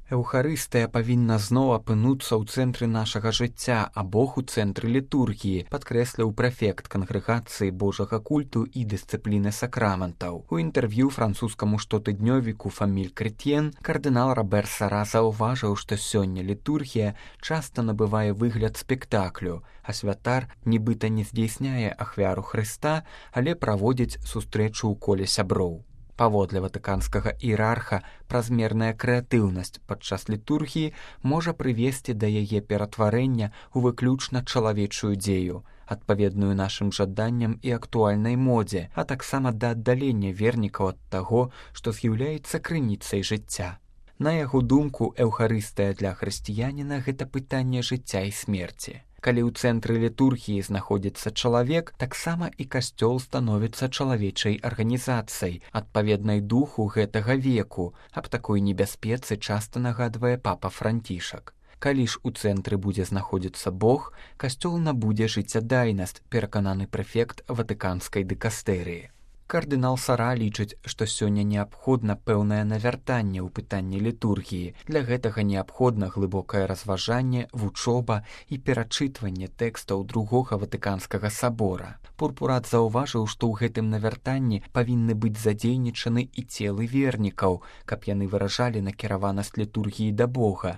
Эўхарыстыя павінна зноў апынуцца ў цэнтры нашага жыцця, а Бог у цэнтры літургіі, падкрэсліў прэфект кангрэгацыі Божага культу і дысцыпліны сакраментаў. У інтэрв'ю французскаму штотыднёвіку «Фаміль Кретьен» кардынал Робер Сара заўважыў, што сёння літургія часта набывае выгляд спектаклю, а святар нібыта не здзейсняе ахвяру Хрыста, але праводзіць сустрэчу ў коле сяброў. Паводле ватыканскага іерарха, празмерная крэатыўнасць падчас літургіі можа прывесці да яе ператварэння ў выключна чалавечую дзею, адпаведную нашым жаданням і актуальнай модзе, а таксама да аддалення вернікаў ад таго, што з'яўляецца крыніцай жыцця. На яго думку, эўхарыстыя для хрысціяніна – гэта пытанне жыцця і смерці. Калі ў цэнтры літургіі знаходзіцца чалавек, таксама і касцёл становіцца чалавечай арганізацыяй, адпаведнай духу гэтага веку. Аб такой небяспецы часта нагадвае папа Францішак. Калі ж у цэнтры будзе знаходзіцца Бог, касцёл набудзе жыццядайнасць, перакананы прэфект ватыканскай дыкастэрыі. Кардынал Сара лічыць, што сёння неабходна пэўнае навяртанне ў пытанні літургіі. Для гэтага неабходна глыбокае разважанне, вучоба і перачытванне тэкстаў другога ватыканскага сабора. Пурпурат заўважыў, што ў гэтым навяртанні павінны быць задзейнічаны і целы вернікаў, каб яны выражалі накіраванасць літургіі да Бога.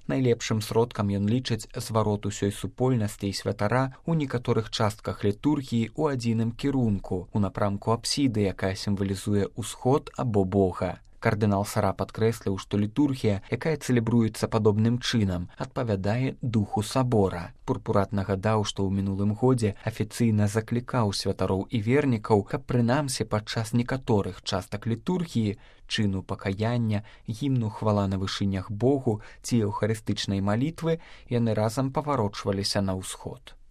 Найлепшым сродкам ён лічыць зварот усёй супольнасці і святара ў некаторых частках літургіі ў адзіным кірунку, у напрамку апсіды, якая сімвалізуе ўсход або Бога. Кардынал Сара падкрэсліў, што літургія, якая цэлебруецца падобным чынам, адпавядае духу сабора. Пурпурат нагадаў, што ў мінулым годзе афіцыйна заклікаў святароў і вернікаў, каб прынамсі падчас некаторых частак літургіі, чыну пакаяння, гімну хвала на вышынях Богу ці эўхарыстычнай малітвы, яны разам паварочваліся на ўсход.